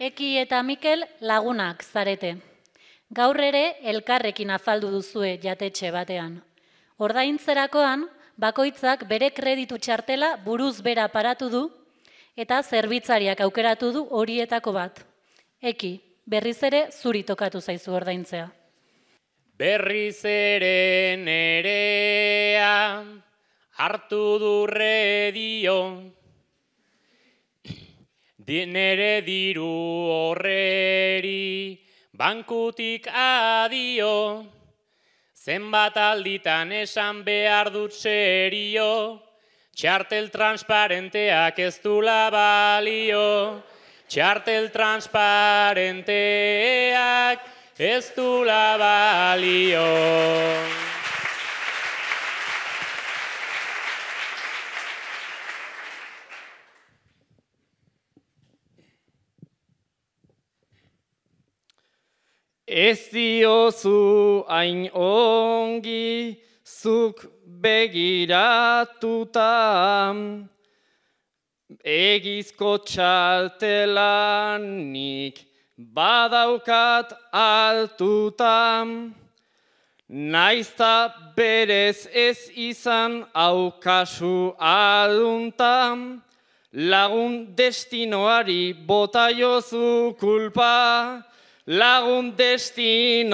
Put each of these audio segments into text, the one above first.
Eki eta Mikel lagunak zarete. Gaur ere elkarrekin afaldu duzue jatetxe batean. Ordaintzerakoan, bakoitzak bere kreditu txartela buruz bera paratu du eta zerbitzariak aukeratu du horietako bat. Eki, berriz ere zuri tokatu zaizu ordaintzea. Berriz ere nerea hartu durre dio, nere diru horreri bankutik adio, zenbat alditan esan behar dut serio, txartel transparenteak ez dula balio, txartel transparenteak ez dula balio. Ez diozu hain ongi zuk begiratuta, egizko txartelanik badaukat altuta, naizta berez ez izan aukasu alunta, lagun destinoari bota jozu kulpa, lagun destinoari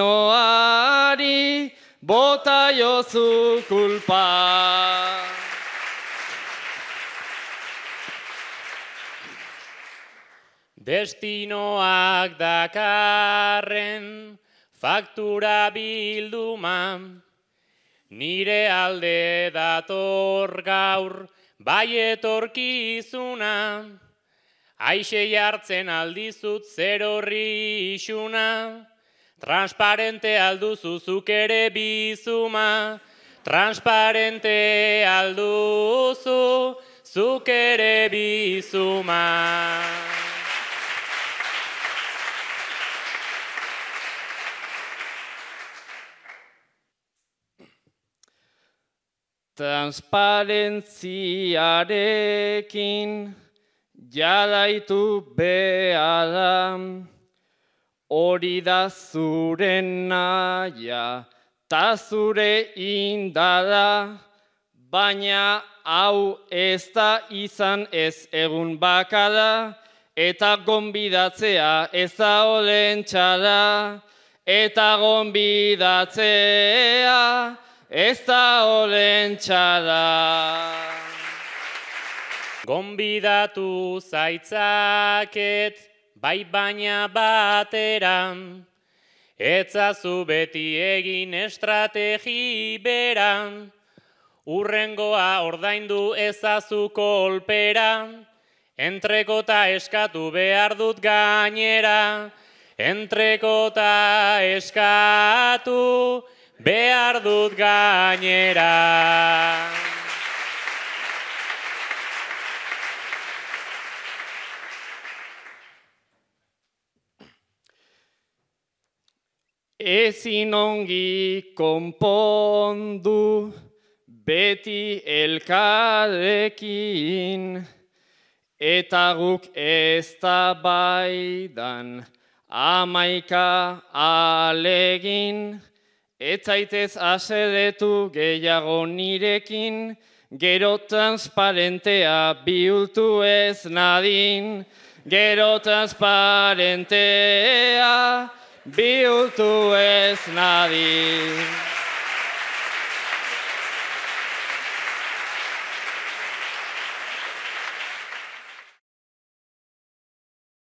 bota jozu kulpa. Destinoak dakarren faktura bilduma, nire alde dator gaur bai etorkizuna, aixe jartzen aldizut zer horri isuna, transparente alduzu zuk ere bizuma, transparente alduzu zuk ere bizuma. Transparentziarekin jarraitu behala, hori da zure nahia ta zure indara, baina hau ez da izan ez egun bakara, eta gonbidatzea ez da olen txara, eta gonbidatzea ez da olen txara. Gonbidatu zaitzaket, bai baina batera, etzazu beti egin estrategi bera, urrengoa ordaindu ezazu kolpera, entrekota eskatu behar dut gainera, entrekota eskatu behar dut gainera. Ezin ongi konpondu beti elkarrekin, eta guk ez da baidan 11 alegin, ez zaitez haserretu gehiago nirekin, gero transparentea bihurtu ez nadin, gero transparentea bihurtu ez nadin.